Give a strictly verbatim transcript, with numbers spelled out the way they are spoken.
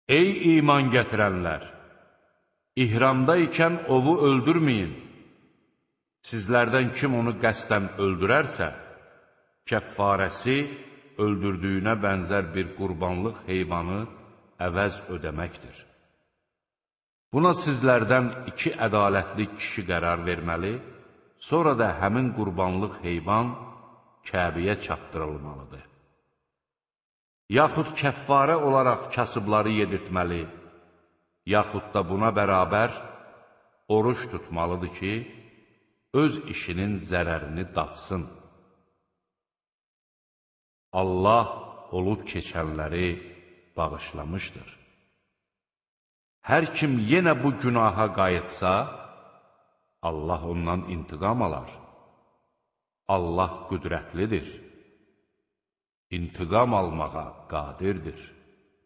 Ey iman gətirənlər! İhramda ikən ovu öldürməyin. Sizlərdən kim onu qəsdən öldürərsə, kəffarəsi öldürdüyünə bənzər bir qurbanlıq heyvanı əvəz ödəməkdir. Buna sizlərdən iki ədalətli kişi qərar verməli, sonra da həmin qurbanlıq heyvan Kəbəyə çatdırılmalıdır. Yaxud kəffarə olaraq kasıbları yedirtməli, yaxud da buna bərabər oruç tutmalıdır ki, öz işinin zərərini datsın. Allah olub keçənləri bağışlamışdır. Hər kim yenə bu günaha qayıtsa, Allah ondan intiqam alar. Allah qüdrətlidir, intiqam almağa qadirdir.